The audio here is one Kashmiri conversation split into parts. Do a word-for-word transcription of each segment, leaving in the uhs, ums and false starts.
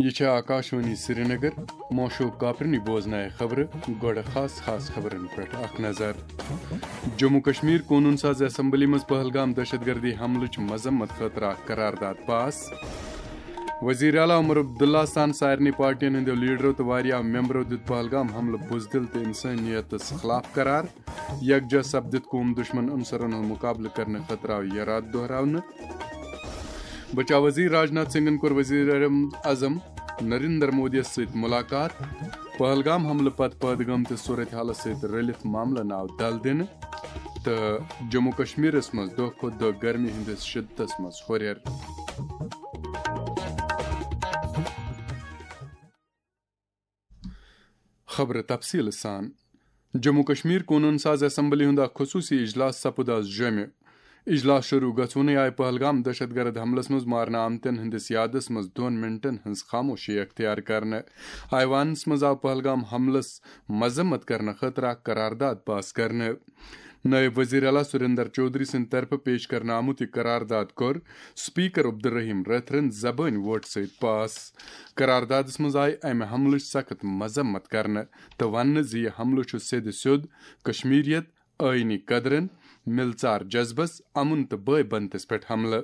یہِ چھےٚ آکاشوانی سرینگر۔ موشوق کاپرنی بوزنایہِ خبرٕ۔ گۄڈٕ خاص خاص خبرن پٮ۪ٹھ اکھ نظر۔ جموں کشمیر قونوٗن ساز اسمبلی منٛز پہلگام دہشت گردی حملٕچ مذمت خٲطرٕ اکھ قرارداد پاس۔ وزیر اعلیٰ عمر عبداللہ سان سارنٕے پارٹین ہٕنٛدیو لیڈرو تہٕ واریاہ ممبرو دیُت پہلگام حملہٕ بزدل تہٕ انسٲنیتس خلاف قرار۔ یکجا سپدِتھ قوم دشمن عنصرن ہُنٛد مقابلہٕ کرنہٕ خٲطرٕ آو یہِ راتھ دۄہراونہٕ۔ بچاو وزیر راجناتھ سنگھن کوٚر وزیر اعظم نریندر مودیَس سۭتۍ ملاقات۔ پہلگام حملہٕ پتہٕ پٲدٕ گٔمتِس صورتحالَس سۭتۍ رٔلِتھ معاملَن آو دَل دِنہٕ تہٕ جموں کشمیرَس منٛز دۄہ کھۄتہٕ دۄہ گرمی ہٕنٛدِس شدتَس منٛز ہُرٮ۪ر۔ خبرٕ تفصیٖل سان۔ جموں کشمیر قونوٗن ساز اسمبلی ہُنٛد اکھ خصوٗصی اجلاس سپُد آز جوٚمہِ۔ اجلاس شروٗع گژھوُنٕے آیہِ پہلگام دہشت گرد حملس منٛز مارنہٕ آمتٮ۪ن ہٕنٛدِس یادس منٛز دۄن منٹن ہٕنٛز خاموشی اختیار کرنہٕ۔ ایوانس منٛز آو پہلگام حملس مذمت کرنہٕ خٲطرٕ اکھ قرارداد پاس کرنہٕ۔ نٲیِب وزیر اعلیٰ سریندر چودھری سٕنٛدِ طرفہٕ پیش کرنہٕ آمُت یہِ قرارداد کوٚر سپیکر عبدالرحیم رٲتھرَن زبٲنۍ ووٹ سۭتۍ پاس۔ قراردادس منٛز آیہِ امہِ حملٕچ سخت مذمت کرنہٕ تہٕ وننہٕ زِ یہِ حملہٕ چھُ سیٚدِ سیوٚد کشمیریت، آئینی قدرن، ملژار جذبس، امن تہٕ بٲے بنتس پٮ۪ٹھ حملہٕ۔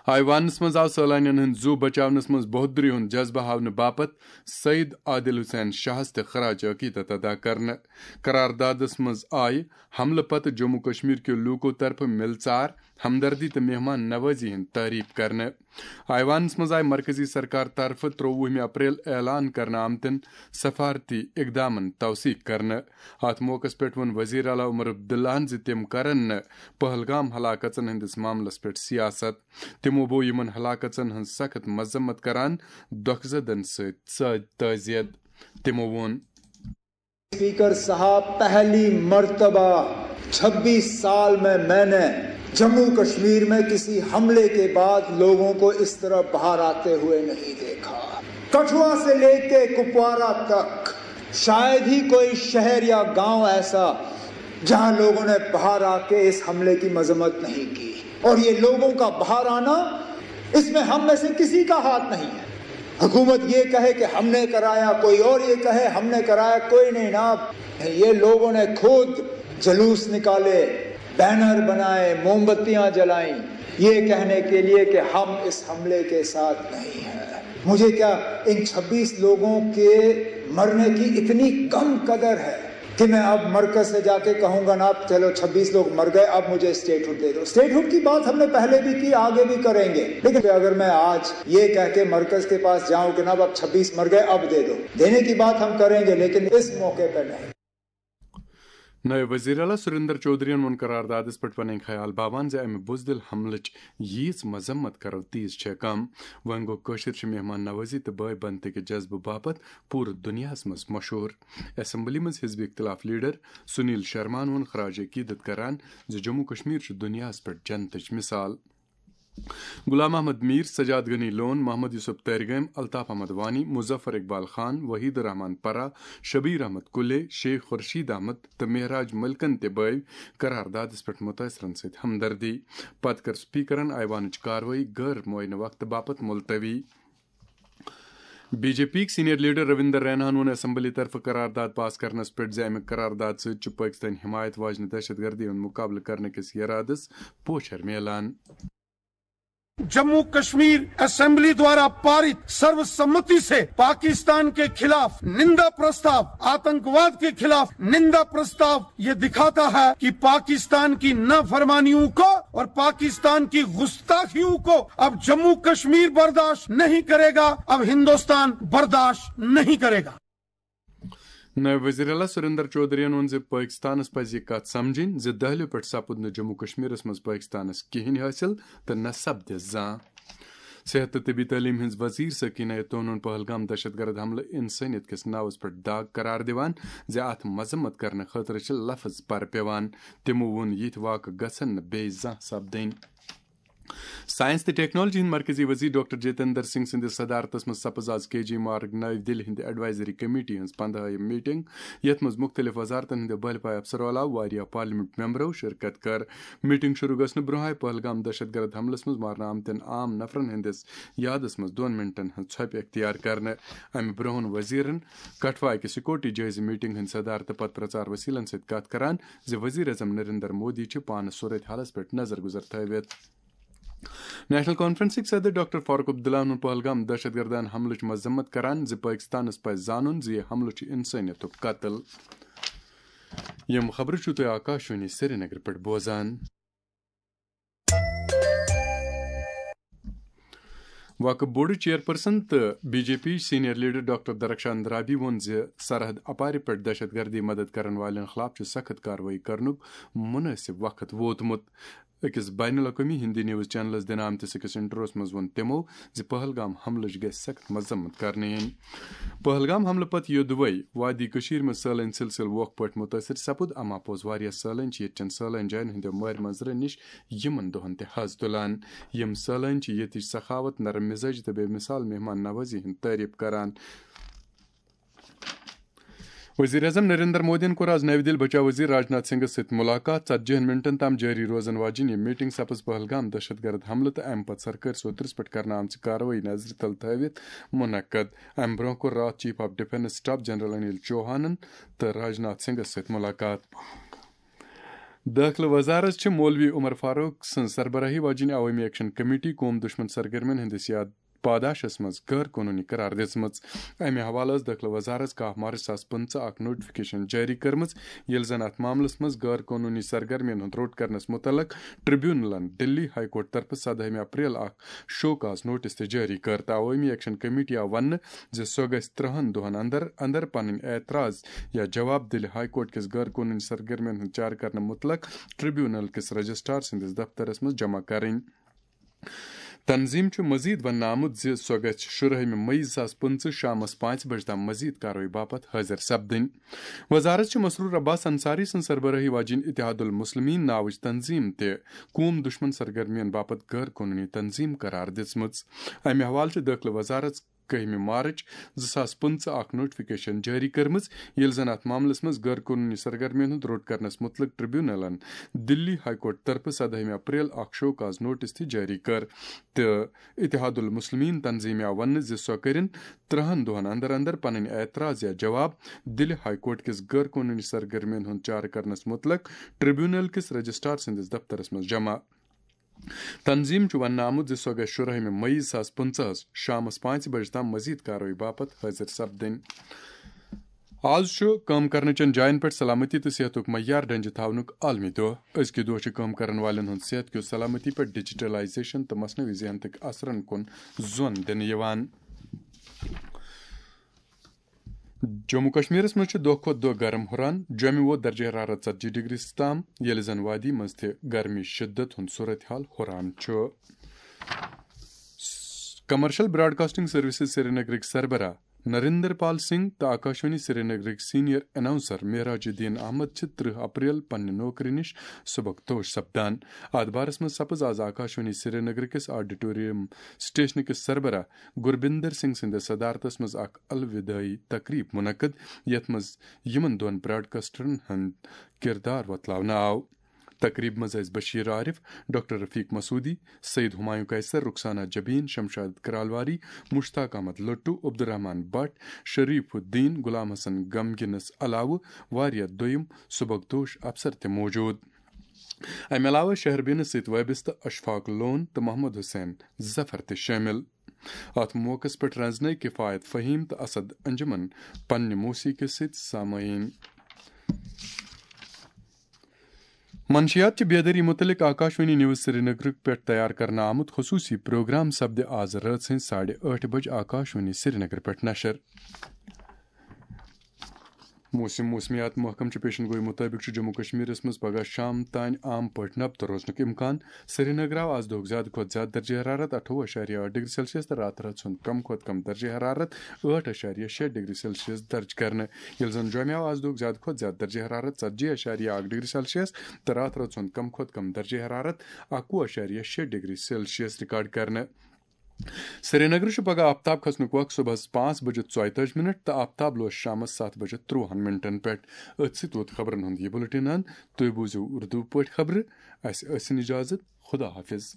ایوانس منٛز آو سٲلانین ہٕنٛدۍ زُو بچاونس منٛز بہادری ہُنٛد جذبہٕ ہاونہٕ باپتھ سید عادل حسین شاہس تہِ خراج عقیدت ادا کرنہٕ۔ قراردادس منٛز آیہِ حملہٕ پتہٕ جموں کشمیر کیو لوٗکو طرفہٕ ملژار، ہمدردی تہٕ مہمان نوازی ہٕنٛز تعریف کرنہٕ۔ ایوانس منٛز آیہِ مرکزی سرکار طرفہٕ ترٛۆوُہمہِ اپریل اعلان کرنہٕ آمتٮ۪ن سفارتی اقدامن توثیق کرنہٕ۔ اتھ موقعس پٮ۪ٹھ ووٚن وزیر اعلیٰ عمر عبداللہن زِ تِم کرن نہٕ پہلگام ہلاکژن ہٕنٛدِس معاملس پٮ۪ٹھ سیاست۔ تِمو بوو یِمن ہلاکژن ہٕنٛز سخت مذمت کران دۄکھٕ زدن سۭتۍ سٲ-، تعزیت۔ تِمو ووٚن۔ اسپیکر صاحب، پہلی مرتبہ چھبیس سال میں میں نے جموں کشمیر میں کسی حملے کے بعد لوگوں کو اس طرح باہر آتے ہوئے نہیں دیکھا۔ کٹھوا سے لے کے کپوارہ تک شاید ہی کوئی شہر یا گاؤں ایسا جہاں لوگوں نے باہر آ کے اس حملے کی مذمت نہیں کی، اور یہ لوگوں کا باہر آنا، اس میں ہم میں سے کسی کا ہاتھ نہیں ہے۔ حکومت یہ کہے کہ ہم نے کرایا، کوئی اور یہ کہے ہم نے کرایا، کوئی نہیں نا۔ یہ لوگوں نے خود جلوس نکالے، بینر بنائے، موم بتیاں جلائیں، یہ کہنے کے لیے کہ ہم اس حملے کے ساتھ نہیں ہیں۔ مجھے کیا ان چھبیس لوگوں کے مرنے کی اتنی کم قدر ہے کہ میں اب مرکز سے جا کے کہوں گا نا، چلو چھبیس لوگ مر گئے، اب مجھے اسٹیٹ ہڈ دے دو۔ اسٹیٹ ہڈ کی بات ہم نے پہلے بھی کی، آگے بھی کریں گے، لیکن اگر میں آج یہ کہہ کے مرکز کے پاس جاؤں کہ نا، اب چھبیس مر گئے، اب دے دو، دینے کی بات ہم کریں گے، لیکن اس موقع پہ نہیں۔ نٲیِب وزیر اعلیٰ سریندر چودھرین ووٚن قراردادس پٮ۪ٹھ پنٕنۍ خیال باوان زِ امہِ بزدل حملٕچ ییٖژ مذمت کرو تیٖژ چھےٚ کم۔ وۄنۍ گوٚو کٲشِر چھِ مہمان نوازی تہٕ بٲے بنتہٕ کہِ جذبہٕ باپتھ پوٗرٕ دُنیاہس منٛز مشہوٗر۔ اسمبلی منٛز حزب اختلاف لیڈر سنیل شرماہن ووٚن خراج عقیدت کران زِ جموں کشمیر چھُ دُنیاہس پٮ۪ٹھ جنتٕچ مثال۔ غلام محمد میر، سجاد غنی لون، محمد یوسف تیرگٲمۍ، الطاف احمد وانی، مظفر اقبال خان، وحید الرحمان پرا، شبیر احمد کلے، شیخ خورشید احمد تہٕ مہراج ملکن تہِ بٲوۍ قراردادس پٮ۪ٹھ متٲثرن سۭتۍ ہمدردی۔ پتہٕ کٔر سپیکرن ایوانٕچ کاروٲیی غٲر معینہ وقتہٕ باپتھ ملتوی۔ بی جے پی یِکۍ سینئر لیڈر رویندر ریناہن ووٚن اسمبلی طرفہٕ قرارداد پاس کرنس پٮ۪ٹھ زِ امہِ قرارداد سۭتۍ چھُ پٲکستٲنۍ حمایت واجنہِ دہشت گردی ہُنٛد مقابلہٕ کرنہٕ کِس یرادس پوچھر میلان۔ जम्मू कश्मीर असेंबली द्वारा पारित सर्वसम्मति से पाकिस्तान के खिलाफ निंदा प्रस्ताव, आतंकवाद के खिलाफ निंदा प्रस्ताव ये दिखाता है कि पाकिस्तान की नाफरमानियों को और पाकिस्तान की गुस्ताखियों को अब जम्मू कश्मीर बर्दाश्त नहीं करेगा, अब हिंदुस्तान बर्दाश्त नहीं करेगा। نٲیِب وزیر اعلیٰ سریندر چودھرین ووٚن زِ پٲکستانس پزِ یہِ کتھ سمجھٕنۍ زِ دہلیو پٮ۪ٹھ سپُد نہٕ جموں کشمیرس منٛز پٲکستانس کِہینۍ حٲصِل تہٕ نہ سپدِ زانٛہہ۔ صحت تہٕ طبی تعلیٖم ہٕنٛز وزیر سکینہ طہنن پہلگام دہشت گرد حملہٕ انسٲنیت کِس ناوس پٮ۪ٹھ داغ قرار دِوان زِ اتھ مذمت کرنہٕ خٲطرٕ چھِ لفظ پرٕ پٮ۪وان۔ تِمو ووٚن، یِتھۍ واقعہٕ گژھن نہٕ بیٚیہِ زانٛہہ سپدٕنۍ۔ ساینس تہٕ ٹیکنالوجی ہٕنٛدۍ مرکزی وزیر ڈاکٹر جتیندر سنگھ سٕنٛدِس صدارتس منٛز سپز آز کے جی مارگ نَوِ دِلہِ ہِنٛدِ ایڈوائزری کمیٹی ہٕنٛز پندہٲیِم میٹنگ، یتھ منٛز مُختٔلِف وزارتن ہٕنٛدیو بٔلۍ پایہِ افسرو علاوٕ واریاہ پارلیمنٹ ممبرو شرکت کٔر۔ میٹنگ شروع گژھنہٕ برونٛہہ آیہِ پہلگام دہشت گرد حملس منٛز مارنہٕ آمتٮ۪ن عام نفرن ہٕنٛدِس یادس منٛز دۄن منٹن ہٕنٛز ژھۄپہِ اختیار کرنہٕ۔ امہِ برونٛہہ ووٚن وزیرن کٹھوا أکِس سیکورٹی جٲیزٕ میٹنگ ہٕنٛدِ صدارتہٕ پتہٕ پرچار وسیلن سۭتۍ کتھ کران زِ وزیر اعظم نریندر مودی چھِ پانہٕ صورت حالس پٮ۪ٹھ نظر گزر تھٲوِتھ۔ نیشنل کانفرنسٕکۍ صدر ڈاکٹر فاروق عبداللہ ووٚن پہلگام دہشت گردانہ حملٕچ مذمت کران زِ پٲکستانس پزِ زانُن زِ یہِ حملہٕ چھُ انسٲنیتُک قتل۔ یِم خبرٕ چھِو تُہۍ آکاشوانی سرینگرٕ پٮ۪ٹھ بوزان۔ وقف بورڈ چیئرپرسن تہٕ B J P senior leader doctor Darakhshan Andrabi ووٚن زِ سرحد اپارِ پٮ۪ٹھ دہشت گردی مدد کرن والٮ۪ن خلاف چھُ سخت کاروٲیی کرنُک مناسب وقت ووتمُت۔ أکِس بین الاقوٲمی ہندی نیوز چینلس دِنہٕ آمتِس أکِس انٹرویوس منٛز ووٚن تِمو زِ پہلگام حملٕچ گژھِ سخت مذمت کرنہٕ یِنۍ۔ پہلگام حملہٕ پتہٕ یوٚدوے وادی کٔشیٖر منٛز سٲلٲنۍ سلسلہٕ وۄکھ پٲٹھۍ مُتٲثر سپُد، اما پوٚز واریاہ سٲلٲنۍ چھِ ییٚتہِ چٮ۪ن سٲلٲنۍ جاین ہٕنٛدیو مٲرۍ منظرن نِش یِمن دۄہن تہِ حظ تُلان۔ یِم سٲلٲنۍ چھِ ییٚتِچ سخاوت، نرم مزاجی تہٕ بے مثال مہمان نوازی ہٕنٛز تعریف کران۔ وزیر اعظم نریندر مودیَن کوٚر آز نَوِ دِلہِ بچاو وزیر راجناتھ سنگھس سۭتۍ ملاقات۔ ژتجی ہن منٹن تام جٲری روزن واجیٚنۍ یہِ میٹنگ سپٕز پہلگام دہشت گرد حملہٕ تہٕ امہِ پتہٕ سرکٲرۍ سوترس پٮ۪ٹھ کرنہٕ آمژٕ کاروٲیی نظرِ تل تھٲوِتھ منعقد۔ امہِ برونٛہہ کوٚر راتھ chief of defence staff general Anil چوہانن تہٕ راجناتھ سنگھس سۭتۍ ملاقات۔ دٲخلہٕ وزارت چھِ مولوی عمر فاروق سٕنٛز سربراہی واجیٚنۍ عوٲمی ایکشن کمیٹی قوم دشمن سرگرمین ہٕنٛدِس یاد پاداشس منٛز غٲر قونوٗنی قرار دِژمٕژ۔ امہِ حوالہٕ ٲس دٲخلہٕ وزارت کاہ مارچ زٕ ساس پٕنٛژٕہ اکھ نوٹیفکیشن جٲری کٔرمٕژ، ییٚلہِ زن اتھ معاملس منٛز غٲر قونوٗنی سرگرمین ہُنٛد روٚٹ کرنس مُتعلق ٹریبیونلن دِلی ہائی کورٹ طرفہٕ سدہٲمہِ اپریل اکھ شو کاز نوٹس تہِ جٲری کٔر تہٕ عوٲمی ایکشن کمیٹی آو وننہٕ زِ سۄ گژھِ ترٛہن دۄہن اندر اندر پنٕنۍ اعتراض یا جواب دِلہِ ہائی کورٹ کِس غٲر قونوٗنی سرگرمین ہُنٛد چارٕ کرنہٕ مُتعلق ٹریبیونل کِس رجسٹرار سٕنٛدِس دفترس منٛز جمع کرٕنۍ۔ تنظیم چھُ مزید وننہٕ آمُت زِ سۄ گژھِ شُرہٲمہِ مئی زٕ ساس پٕنٛژٕہ شامس پانٛژِ بجہِ تام مزید کاروٲیی باپتھ حٲضِر سپدٕنۍ۔ وزارت چھِ مسرور عباس انصاری سٕنٛز سربرٲہی واجیٚنۍ اتحاد المسلمین ناوٕچ تنظیم تہِ قوم دشمن سرگرمین باپتھ غٲر قونوٗنی تنظیم قرار دِژمٕژ۔ امہِ حوالہٕ چھِ دٲخلہٕ وزارت کٔہمہِ مارچ زٕ ساس پٕنٛژٕہ اکھ نوٹیفکیشن جٲری کٔرمٕژ، ییٚلہِ زن اتھ معاملس منٛز غٲر قونوٗنی سرگرمین ہُنٛد روٚٹ کرنس مُتعلق ٹریبیونلن دِلی ہائی کورٹ طرفہٕ سدہٲمہِ اپریل اکھ شو کاز نوٹس تہِ جٲری کٔر تہٕ اتحاد المسلمین تنظیمہِ آو وننہٕ زِ سۄ کٔرِن ترٛہن دۄہن اندر اندر پنٕنۍ اعتراض یا جواب دِلہِ ہائی کورٹ کِس غٲر قونوٗنی سرگرمین ہُنٛد چارٕ کرنس مُتعلق ٹریبیونل کِس رجسٹرار سٕنٛدِس دفترس منٛز جمع۔ تنظیم چھُ وننہٕ آمُت زِ سۄ گژھِ شُرہٲمہِ مئی زٕ ساس پٕنٛژٕہس شامس پانٛژِ بجہِ تام مزید کاروٲیی باپتھ حٲضِر سپدٕنۍ۔ آز چھُ کٲم کرنہٕ چٮ۪ن جاین پٮ۪ٹھ سلامتی تہٕ صحتُک معیار ڈنجہِ تھاونُک عالمی دۄہ۔ أزکہِ دۄہ چھُ کٲم کرن والٮ۪ن ہُنٛد صحت کیو سلامتی پٮ۪ٹھ ڈیجیٹلائزیشن تہٕ مصنوعی ذہنتٕکۍ اثرن کُن زون دِنہٕ یِوان۔ جموں کشمیرس منٛز چھُ دۄہ کھۄتہٕ دۄہ گرم ہُران۔ جوٚمہِ ووت درجہ حرارت ژتجی ڈگری تام، ییٚلہِ زن وادی منٛز تہِ گرمی شدت ہُنٛد صورتحال ہُران چھُ۔ کمرشل براڈکاسٹنگ سروسز سرینگرٕکۍ سربراہ نریندر پال سنگھ تہٕ آکاشوانی سرینگرٕکۍ سینئر اناؤنسر معراج الدین احمد چھِ ترٕہ اپریل پننہِ نوکری نِش سبکدوش سپدان۔ اتھ بارس منٛز سپٕز آز آکاشوانی سرینگرٕ کِس آڈیٹوریم سٹیشنہٕ کِس سربراہ گربندر سنگھ سٕنٛدِس صدارتس منٛز اکھ الودٲعی تقریب منعقد، یتھ منٛز یِمن دۄن براڈکاسٹرن ہُنٛد کردار وۄتلاونہٕ آو۔ تقریبہِ منٛز ٲسۍ بشیر عارف، ڈاکٹر رفیق مسعودی، سید ہمایوں قیصر، رخسانہ جبین، شمشاد کرالواری، مشتاق احمد لٹو، عبدالرحمان بٹ، شریف الدین، غلام حسن غمگینس علاوٕ واریاہ دوٚیم سبکدوش افسر تہِ موجود۔ امہِ علاوٕ شہربینس سۭتۍ وابستہٕ اشفاق لون تہٕ محمد حسین ظفر تہِ شٲمِل۔ اتھ موقعس پٮ۪ٹھ رنزنٲوۍ کفایت فہیم تہٕ اسد انجمن پننہِ موسیقی سۭتۍ سامعین۔ منشیات چہِ بیدٲری متعلق آکاشوانی نیوز سرینگرٕ پٮ۪ٹھ تیار کرنہٕ آمُت خصوصی پروگرام سپدِ آز رٲژ ہٕنٛزِ ساڑِ ٲٹھِ بجہِ آکاشوانی سرینگرٕ پٮ۪ٹھ نشر۔ موسم موسمیات محکمہٕ چہِ پیشن گوئی مُطٲبِق چھُ جموں کشمیرس منٛز پگہہ شام تام عام پٲٹھۍ نبتہٕ روزنُک امکان۔ سرینگر آو آز دۄہُک زیادٕ کھۄتہٕ زیادٕ درجہ حرارت اَٹھووُہ اَشاریہ ٲٹھ ڈگری سیلسیس تہٕ راتہٕ رٲژ ہُنٛد کم کھۄتہٕ کم درجہ حرارت ٲٹھ اَشاریہ شےٚ ڈگری سیلسیس درج کرنہٕ، ییٚلہِ زن جوٚمہِ آو آز دۄہُک زیادٕ کھۄتہٕ زیادٕ درجہ حرارت ژتجی اَشاریہ اَکھ ڈگری سیلسیس تہٕ راتہٕ رٲژ ہُنٛد کم کھۄتہٕ کم درجہ حرارت اَکوُہ اَشاریہ شےٚ ڈگری سیلسیس ریکارڈ کرنہٕ۔ سرینگرٕ چھُ پگہہ آفتاب کھسنُک وقت صبحس پانٛژھ بجے ژۄیتٲجی منٹ تہٕ آفتاب لوس شامس ستھ بجے ترٛوہن منٹن پٮ۪ٹھ۔ أتھۍ سۭتۍ ووت خبرن ہُنٛد یہِ بُلٹن اند۔ تُہۍ بوٗزِو اردو پٲٹھۍ خبرٕ۔ اسہِ ٲسِن اجازت۔ خدا حافظ۔